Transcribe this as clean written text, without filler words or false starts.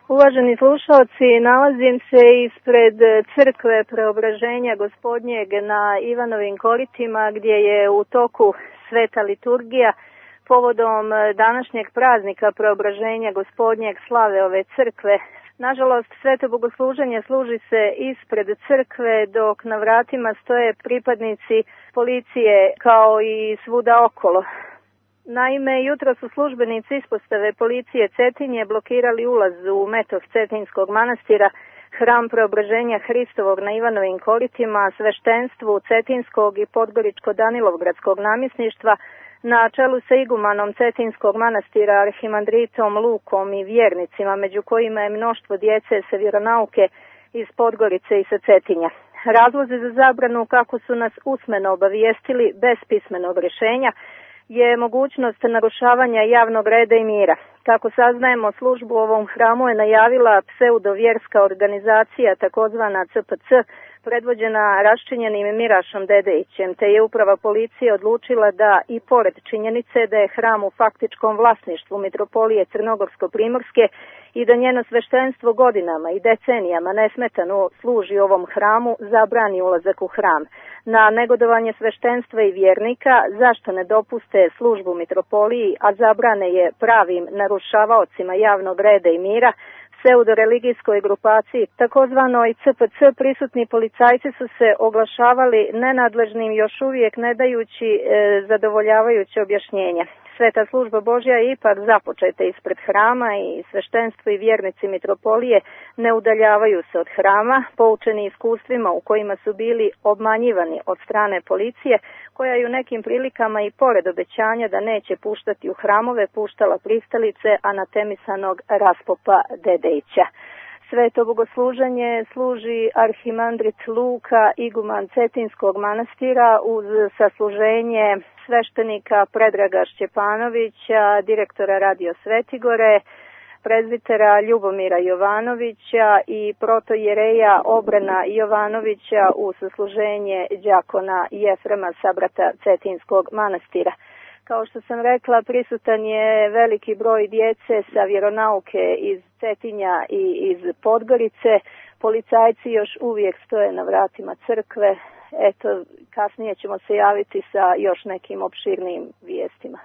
Uvaženi slušalci, nalazim se ispred crkve Preobraženja Gospodnjeg na Ivanovim koritima, gdje je u toku sveta liturgija povodom današnjeg praznika Preobraženja Gospodnjeg slave ove crkve. Nažalost, sveto bogosluženje služi se ispred crkve, dok na vratima stoje pripadnici policije kao i svuda okolo. Naime, jutro su službenici ispostave policije Cetinje blokirali ulaz u metoh Cetinskog manastira, hram Preobraženja Hristovog na Ivanovim koritima, sveštenstvu Cetinskog i Podgoričko-Danilovgradskog namjesništva, na čelu sa igumanom Cetinskog manastira arhimandritom Lukom i vjernicima, među kojima je mnoštvo djece sa vjeronauke iz Podgorice i sa Cetinja. Razlozi za zabranu, kako su nas usmeno obavijestili bez pismenog rješenja, je mogućnost narušavanja javnog reda i mira. Kako saznajemo, službu u ovom hramu je najavila pseudovjerska organizacija takozvana CPC, predvođena raščinjenim Mirašom Dedejićem, te je uprava policije odlučila da i pored činjenice da je hram u faktičkom vlasništvu Mitropolije Crnogorsko-Primorske i da njeno sveštenstvo godinama i decenijama nesmetano služi ovom hramu, zabrani ulazak u hram. Na negodovanje sveštenstva i vjernika zašto ne dopuste službu Mitropoliji, a zabrane je pravim narušavaocima javnog reda i mira, pseudoreligijskoj grupaciji, takozvanoj CPC, prisutni policajci su se oglašavali nenadležnim, još uvijek ne dajući zadovoljavajuće objašnjenja. Sveta služba Božja je ipak započeta ispred hrama i sveštenstvo i vjernici Mitropolije ne udaljavaju se od hrama, poučeni iskustvima u kojima su bili obmanjivani od strane policije, koja je u nekim prilikama i pored obećanja da neće puštati u hramove, puštala pristalice anatemisanog raspopa Dedejića. Sveto bogosluženje služi arhimandrit Luka, iguman Cetinskog manastira, uz sasluženje sveštenika Predraga Šćepanovića, direktora Radio Svetigore, prezbitera Ljubomira Jovanovića i protojereja Obrana Jovanovića u sasluženje đakona Jefrema Sabrata Cetinskog manastira. Kao što sam rekla, prisutan je veliki broj djece sa vjeronauke iz Cetinja i iz Podgorice. Policajci još uvijek stoje na vratima crkve. Eto, kasnije ćemo se javiti sa još nekim opširnijim vijestima.